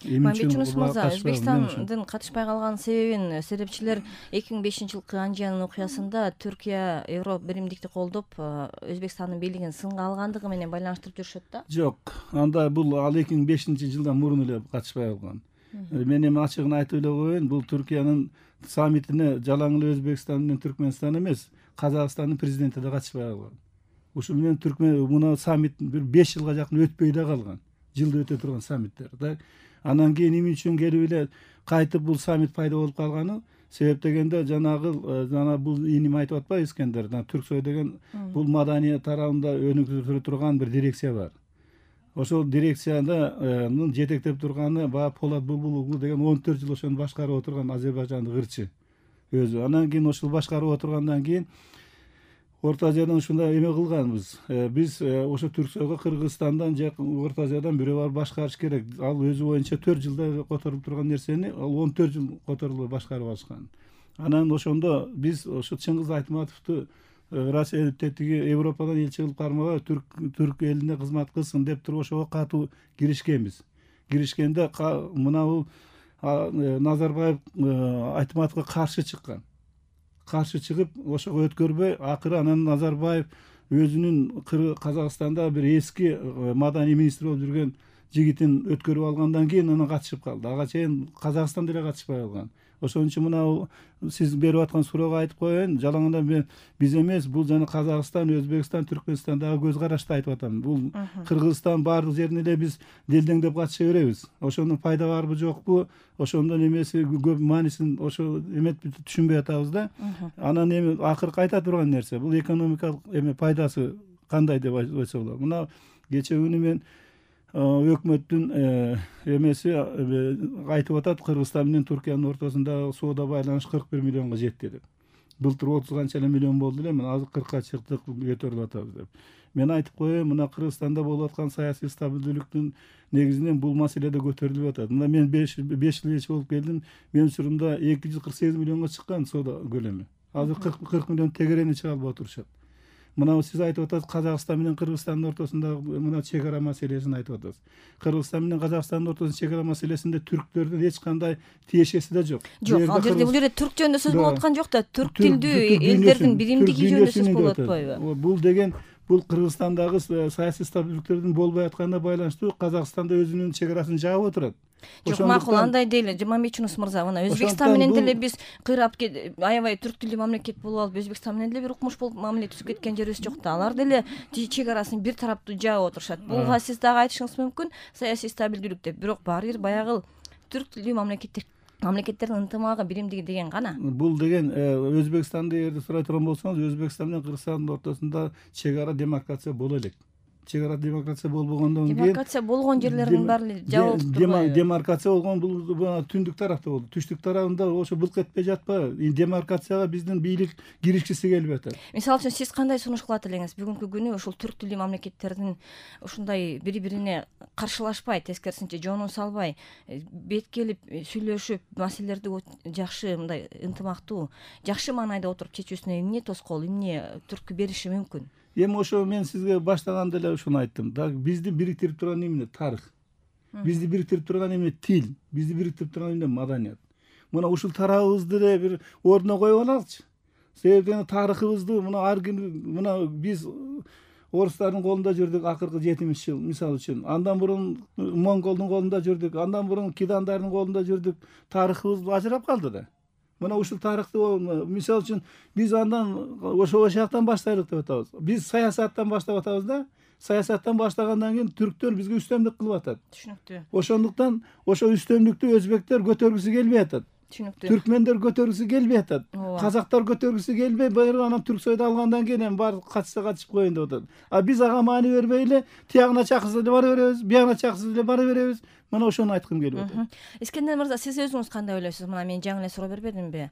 Мамбетчунус мырза, Өзбекстандын катышпай калган себебин серепчилер 2005-жылкы Анжиянын окуясында Түркия Европа биримдикти колдоп, Өзбекстандын бийлигин сынга алгандыгы менен байланыштырып жүрүшөт да. Жок, анда бул ал 2005-жылдан мурун эле катышпай калган. Мен эми ачыгын айтып эле коеюн, бул Түркиянын саммитине жалаң эле Өзбекстан менен Түркмөнстан эмес, Казакстандын президенти да катышпай калган. Ушул менен мына саммит бир 5 жылга жакын өтпөй да калган. Жылда өтө турган саммиттер да. Анан кийин эмне үчүн келип эле кайтып бул саммит пайда болуп калганы? Себеп дегенде жана бул иним айтып атпайбы Искендер, Түрксой деген бул маданият тарабында өнүктүрө турган бир дирекция бар. Ошол дирекциянын жетектеп турганы баягы Полат Булбулоглу деген 14 жыл ошону башкарып отурган Азербайжандык ырчы өзү. Анан кийин ошол башкарып отургандан кийин Орто Азиядан ушундай эме кылганбыз. Биз ошо Түрксойго Кыргызстандан же Орто Азиядан бирөө барып башкарыш керек. Ал өзү боюнча 4 жылда которуп турган нерсени ал 14 жыл которулуп башкарып алышкан. Анан ошондо биз ошо Чыңгыз Айтматовду Россия тетиги Европадан элчи кылып кармаган түрк элине кызмат кылсын деп туруп ошого катуу киришкенбиз. Киришкенде мына бул Назарбаев Айтматовго каршы чыккан. Каршы чыгып ошого өткөрбөй, акыры анан Назарбаев өзүнүн Казакстанда бир эски маданий министр болуп жүргөн жигитин өткөрүп алгандан кийин анан катышып калды. Ага чейин Казакстан деле катышпай калган. Ошон үчүн мына сиз берип аткан суроого айтып коеюн, жалаңында биз эмес, бул жана Казакстан, Өзбекстан, Түркмөнстандагы көз карашты айтып атам. Бул Кыргызстан баардык жерине эле биз делдеңдеп катыша беребиз. Ошонун пайда барбы жокпу, ошондон эмеси көп маанисин ошо эметип түшүнбөй атабыз да. Анан эми акыркы айта турган нерсе, бул экономикалык эме пайдасы кандай деп айтса болот. Мына кечээ күнү мен өкмөттүн эмеси айтып атат, Кыргызстан менен Түркиянын ортосунда соода байланыш 41 миллионго жетти деп. Былтыр 30 канча эле миллион болду эле, мына азыр 40ка чыктык, көтөрүлүп атабыз деп. Мен айтып коеюн, мына Кыргызстанда болуп аткан саясий стабилдүүлүктүн негизинен бул маселе да көтөрүлүп атат. Мына мен 5 жыл элчи болуп келдим, менин учурумда 248 миллионго чыккан соода көлөмү. Азыр 40 миллион тегерени чыга албай отурушат. Мына сиз айтып атасыз, Казакстан менен Кыргызстандын ортосунда мына чек ара маселесин айтып атасыз. Кыргызстан менен Казакстандын ортосундагы чек ара маселесинде түрктөрдүн эч кандай тиешеси да жок. Жок, ал жерде бул жерде түрк жөнүндө сөз болуп аткан жок да, түрк тилдүү элдердин биримдиги жөнүндө сөз болуп атпайбы? Бул деген бул Кыргызстандагы саясий стабилдүүлүктөрдүн болбой атканына байланыштуу Казакстанда өзүнүн чек арасын жаап отурат. Жок, макул, андай дейли. Мамбетчунус мырза, мына Өзбекстан менен деле биз кыйрап аябай түрк тилдүү мамлекет болуп алып, Өзбекстан менен деле бир укмуш болуп мамиле түзүп кеткен жерибиз жок да. Алар деле чек арасын бир тараптуу жаап отурушат. Буга сиз дагы айтышыңыз мүмкүн, саясий стабилдүүлүк деп. Бирок баары бир баягы түрк тилдүү мамлекеттердин ынтымагы, биримдиги деген гана. Бул деген Өзбекстанды эгерде сурай турган болсоңуз, Өзбекстан менен Кыргызстандын ортосунда чек ара демаркация боло элек. Чек ара демаркация болбогондон кийин демаркация болгон жерлердин баары жабылып турбайбы? Демаркация болгон бул түндүк тарапта болду. Түштүк тарабында ошо былк этпей жатпайбы? Демаркацияга биздин бийлик киришкиси келип атат. Мисалы үчүн сиз кандай сунуш кылат элеңиз? Бүгүнкү күнү ушул түрк тилдүү мамлекеттердин ушундай бири-бирине каршылашпай, тескерисинче жонун салбай, бет келип сүйлөшүп, маселелерди жакшы мындай ынтымактуу, жакшы маанайда отуруп чечүүсүнө эмне тоскоол, эмне түрткү бериши мүмкүн? Эми ошо мен сизге баштаганда эле ушуну айттым. Бизди бириктирип турган эмне? Тарых. Бизди бириктирип турган эмне? Тил. Бизди бириктирип турган эмне? Маданият. Мына ушул тарабыбызды эле бир ордуна коюп алалычы. Себеби тарыхыбызды мына биз орустардын колунда жүрдүк акыркы 70 жыл, мисалы үчүн. Андан мурун монголдун колунда жүрдүк, андан мурун кидандардын колунда жүрдүк. Тарыхыбыз ажырап калды да. Мына ушул тарыхты мисалы үчүн биз андан ошол жактан баштайлык деп атабыз. Биз саясаттан баштап атабыз да. Саясаттан баштагандан кийин түрктөр бизге үстөмдүк кылып атат. Түшүнүктүү. Ошондуктан ошо үстөмдүктү өзбектер көтөргүсү келбей атат. Түшүнүктүү. Түркмендер көтөргүсү келбей атат. Казактар көтөргүсү келбей, баягы анан Түрксойду алгандан кийин эми баары катышса катышып коеюн деп атат. А биз ага маани бербей эле тиягына чакырса эле бара беребиз, биягына чакырса эле бара беребиз. Мына ошону айткым келип атат. Искендер мырза, сиз өзүңүз кандай ойлойсуз? Мына мен жаңы эле суроо бербедимби?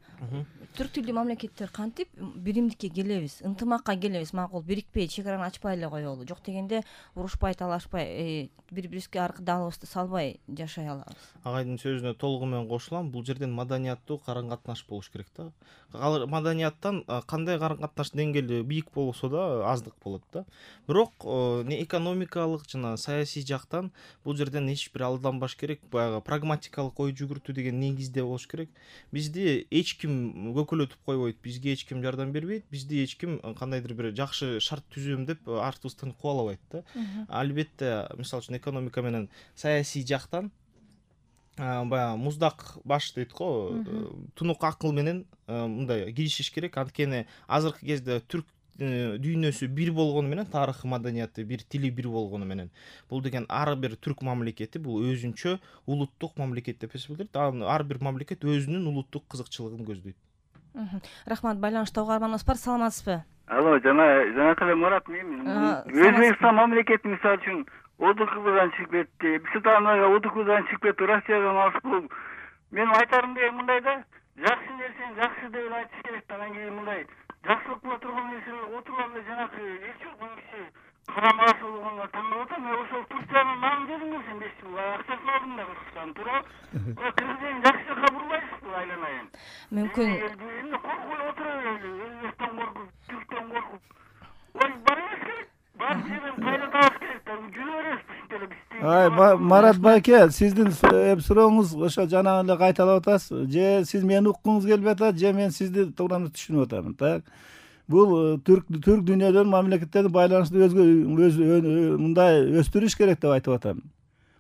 Түрк тилдүү мамлекеттер кантип биримдикке келебиз, ынтымакка келебиз, макул, бирикпей, чек араны ачпай эле коелу. Жок дегенде урушпай, талашпай, бири-бирибизге аркы даалыбызды салбай жашай алабыз. Агайдын сөзүнө толугу менен кошулам. Бул жерден маданияттуу карым катнаш болуш керек да. Маданияттан кандай карым катнаш деңгээли бийик болсо да аздык болот да. Бирок экономикалык жана саясий жактан бул жерден эч бир колдонбаш керек, баягы прагматикалык ой жүгүртүү деген негизде болуш керек. Бизди эч ким көкөлөтүп койбойт, бизге эч ким жардам бербейт, бизди эч ким кандайдыр бир жакшы шарт түзөм деп артыбыздан кубалабайт да. Албетте, мисалы үчүн экономика менен саясий жактан баягы муздак баш дейт го, тунук акыл менен мындай киришиш керек. Анткени азыркы кезде түрк дүйнөсү бир болгону менен, тарыхы, маданияты бир, тили бир болгону менен, бул деген ар бир түрк мамлекети бул өзүнчө улуттук мамлекет деп эсептелет. Ар бир мамлекет өзүнүн улуттук кызыкчылыгын көздөйт. Рахмат. Байланышта угарманыбыз бар. Саламатсызбы? Алло, жана Мурат мен. Өзбекстан мамлекети мисалы үчүн ОДКБдан чыгып кетти. Бизтанага ОДКБдан чыгып кетти, Россиядан алып болуп. Менин айтарым деген мындай да, жакшы нерсени жакшы деп айтыш керек да. Анан кийин мындай жакшылык кыла турган нерселер отуруп эле жанакы эч жок киши карамагысы болгонго таң калып атам. Мен ошол Турциянын намын дедиңби сен 5 жыл акчасын алдым да Кыргызстан туурабы? Кыргызстан жакшы жака бурбайсызбы айланайын? Мүмкүн. Эми коркуп отура берели, Өзбектен коркуп, Түрктөн коркуп. Ой, бар эмес керек. Бар жерден кайра табыш керек да. Жүрө беребиз ушинтип эле биз. Марат байке, сиздин сурооңуз ошо жана эле кайталап атасыз. Же сиз мени уккуңуз келип атат, же мен сизди туура түшүнүп атамын. Так. Бул түрк дүйнөдөн мамлекеттерди байланышты мындай өстүрүш керек деп айтып атам.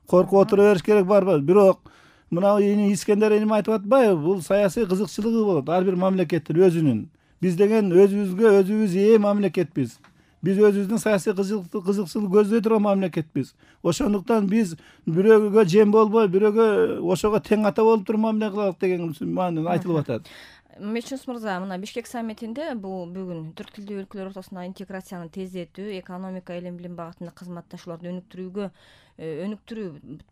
Коркуп отура бериш керек барбы? Бирок мына Искендер эми айтып атпайбы? Бул саясий кызыкчылыгы болот ар бир мамлекеттин өзүнүн. Биз деген өзүбүз ээ мамлекетпиз. Биз өзүбүздүн саясий кызыкчылык көздөй турган мамлекетпиз. Ошондуктан биз бирөөгө жем болбой, бирөөгө ошого тең ата болуп туруп мамиле кылалык деген маанилүү айтылып атат. Мечнус мырза, мына Бишкек саммитинде бул бүгүн түрк тилдүү өлкөлөр ортосундагы интеграцияны тездетүү, экономика, илим билим багытында кызматташууларды өнүктүрүү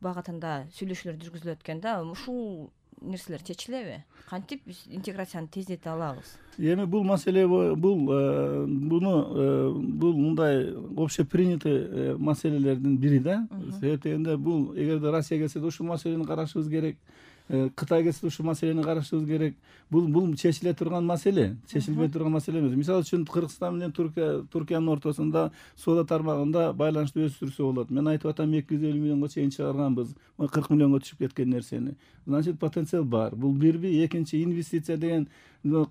багытында сүйлөшүүлөр жүргүзүлөт экен да. Ушул нерселер чечилеби? Кантип биз интеграцияны тездете алабыз? Эми бул маселе бул мындай общепринятый маселелердин бири да. Себеп дегенде бул эгерде Россия келсе ушул маселени карашыбыз керек. Кытай келсе ушул маселени карашыбыз керек. Бул чечиле турган маселе, чечилбей турган маселе эмес. Мисалы үчүн Кыргызстан менен Түркиянын ортосунда соода тармагында байланышты өстүрсө болот. Мен айтып атам 250 миллионго чейин чыгарганбыз. 40 миллионго түшүп кеткен нерсени. Значит, потенциал бар. Бул бирби, экинчи инвестиция деген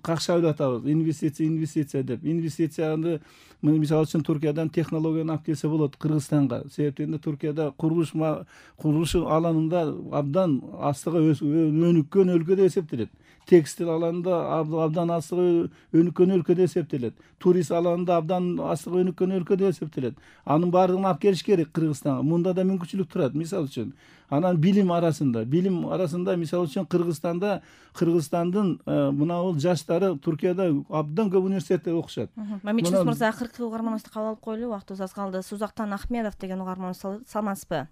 какшап атабыз. Инвестиция деп. Инвестицияны мисалы үчүн Түркиядан технологияны алып келсе болот Кыргызстанга. Себеп дегенде Түркияда курулуш аланында абдан астыга өнүккөн өлкө деп эсептелет. Текстил аланында абдан астыга өнүккөн өлкө деп эсептелет. Турист аланында абдан астыга өнүккөн өлкө деп эсептелет. Анын баардыгын алып келиш керек Кыргызстанга. Мында да мүмкүнчүлүк турат, мисалы үчүн. Анан билим арасында мисалы үчүн Кыргызстандын мына бул жаштары Түркияда абдан көп университетте окушат. Мечнус мырза, акыркы угарманыбызды кабыл алып коелу, убактыбыз аз калды. Сузактан Ахмедов деген угарманыбыз. Саламатсызбы?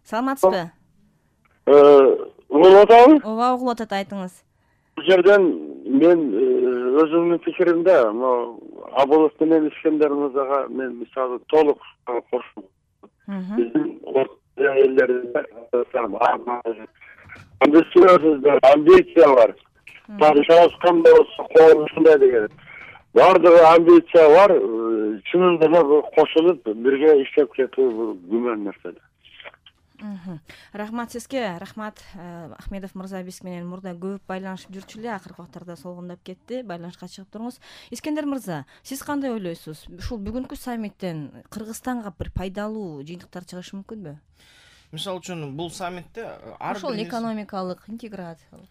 Саламатсызбы? Угулуп атабы? Ооба, угулуп атат, айтыңыз. Бул жерден мен өзүмдүн пикиримде, Абылов менен Искендер мырзага мен мисалы толук кошулам. Биздин элдерибизде амбиция бар. Падышабыз кандай болсо ушундай деген. Бардыгы амбиция бар, чынында эле кошулуп бирге иштеп кетүү бул күмөн нерсе. Рахмат сизге. Рахмат Ахмедов мырза, биз менен мурда көп байланышып жүрчү эле, акыркы убактарда солгундап кетти. Байланышка чыгып туруңуз. Искендер мырза, сиз кандай ойлойсуз? Ушул бүгүнкү саммиттен Кыргызстанга бир пайдалуу жыйынтыктар чыгышы мүмкүнбү? Мисалы үчүн бул саммитте ошол экономикалык интеграциялык.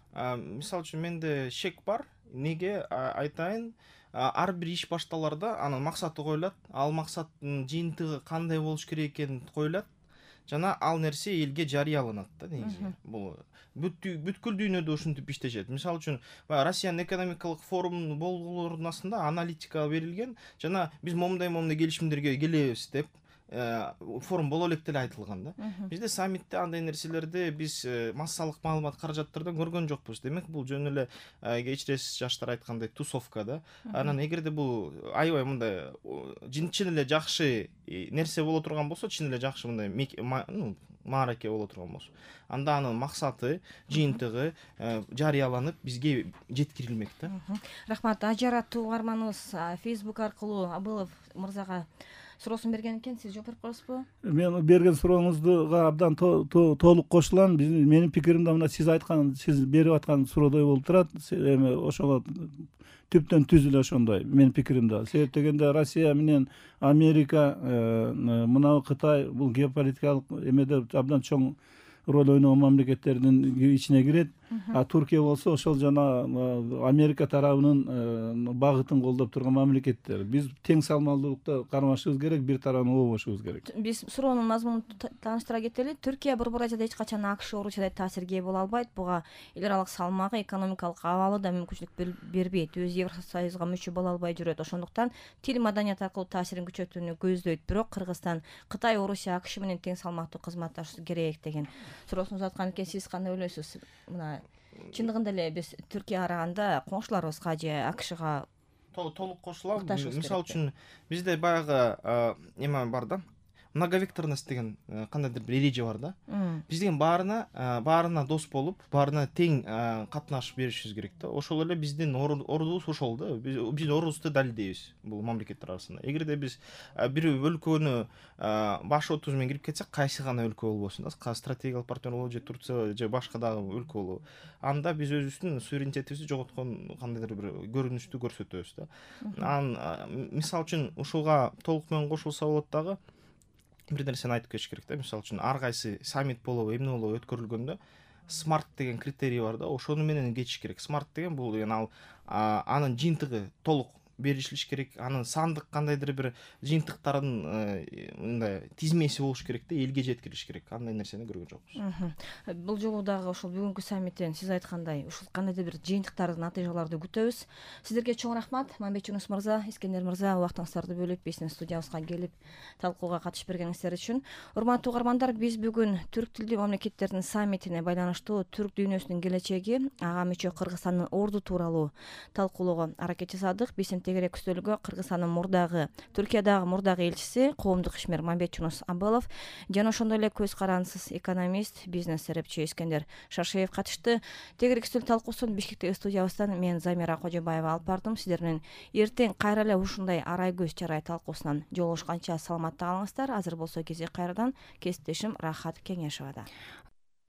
Мисалы үчүн менде шек бар. Неге айтайын? Ар бир иш башталарда анын максаты коюлат. Ал максаттын жыйынтыгы кандай болуш керек экени коюлат. Жана ал нерсе элге жарыяланат да негизи. Бул бүткүл дүйнөдө ушинтип иштешет. Мисалы үчүн Россиянын экономикалык форумунун болгулорунун астында аналитика берилген. Жана биз момундай келишимдерге келебиз деп форум боло элек деле айтылган да. Бизде саммитте андай нерселерди биз массалык маалымат каражаттардан көргөн жокпуз. Демек бул жөн эле кечиресиз жаштар айткандай тусовка да. Анан эгерде бул аябай мындай чын эле жакшы нерсе боло турган болсо, чын эле жакшы мындай маараке боло турган болсо, анда анын максаты, жыйынтыгы жарыяланып бизге жеткирилмек да. Рахмат. Ажар аттуу угарманыбыз Facebook аркылуу Абылов мырзага суроосун берген экен, сиз жооп берип коесузбу? Мен берген сурооңузга абдан толук кошулам. Менин пикирим да мына сиз берип аткан суроодой болуп турат. Эми ошого түптөн түз эле ошондой менин пикирим да. Себеп дегенде Россия менен Америка, мына Кытай бул геополитикалык эмеде абдан чоң роль ойногон мамлекеттердин ичине кирет. А Туркия болсо ошол жана Америка тарабынын багытын колдоп турган мамлекеттер. Биз тең салмалуулукта кармашыбыз керек, бир тарабын обошубуз керек. Биз суроонун мазмунун тааныштыра кетели. Түркия Борбор Азияда эч качан АКШ Орусиядай таасирге ээ боло албайт. Буга эл аралык салмагы, экономикалык абалы да мүмкүнчүлүк бербейт. Өз Евросоюзга мүчө боло албай жүрөт. Ошондуктан тил, маданият аркылуу таасирин күчөтүүнү көздөйт. Бирок Кыргызстан Кытай, Орусия, АКШ менен тең салмактуу кызматташуу керек деген суроосуңузду аткан экен. Сиз кандай ойлойсуз? Мына чындыгында эле биз Түркияга караганда коңшуларыбызга же АКШга толук кошулам. Мисалы үчүн бизде баягы эме бар да, многовекторность деген кандайдыр бир эреже бар да. Биз деген баарына дос болуп, баарына тең катнашып беришибиз керек да. Ошол эле биздин ордубуз ошол да. Биз ордубузду далилдейбиз бул мамлекеттер арасында. Эгерде биз бир өлкөнү баш отуз менен кирип кетсек, кайсы гана өлкө болбосун да, стратегиялык партнер болобу же Турция же башка дагы өлкө болобу, анда биз өзүбүздүн суверенитетибизди жоготкон кандайдыр бир көрүнүштү көрсөтөбүз да. Мисалы үчүн ушуга толук менен кошулса болот дагы. Бир нерсени айтып кетиш керек да. Мисалы үчүн ар кайсы саммит болобу, эмне болобу өткөрүлгөндө смарт деген критерий бар да. Ошону менен кетиш керек. Смарт деген бул анын жыйынтыгы толук беришилиш керек. Анын сандык кандайдыр бир жыйынтыктардын мындай тизмеси болуш керек да, элге жеткирилиш керек. Андай нерсени көргөн жокпуз. Бул жолу дагы ошол бүгүнкү саммиттен сиз айткандай ушул кандайдыр бир жыйынтыктардын, натыйжаларды күтөбүз. Сиздерге чоң рахмат. Мамбет Жунус мырза, Искендер мырза, убактыңыздарды бөлүп биздин студиябызга келип талкууга катышып бергениңиздер үчүн. Урматтуу угармандар, биз бүгүн түрк тилдүү мамлекеттердин саммитине байланыштуу түрк дүйнөсүнүн келечеги, ага мүчө Кыргызстандын орду тууралуу талкуулоого аракет жасадык. Биздин тегерек үстөлгө Кыргызстандын мурдагы, Түркиядагы мурдагы элчиси, коомдук ишмер Мамбет Жунус Абылов жана ошондой эле көз карансыз экономист, бизнес серепчи Искендер Шаршеев катышты. Тегерек үстөл талкуусун Бишкектеги студиябыздан мен Замира Кожобаева алып бардым. Сиздер менен эртең кайра эле ушундай арай көз чарай талкуусунан жолугушканча саламатта калыңыздар. Азыр болсо кезек кайрадан кесиптешим Рахат Кеңешова да.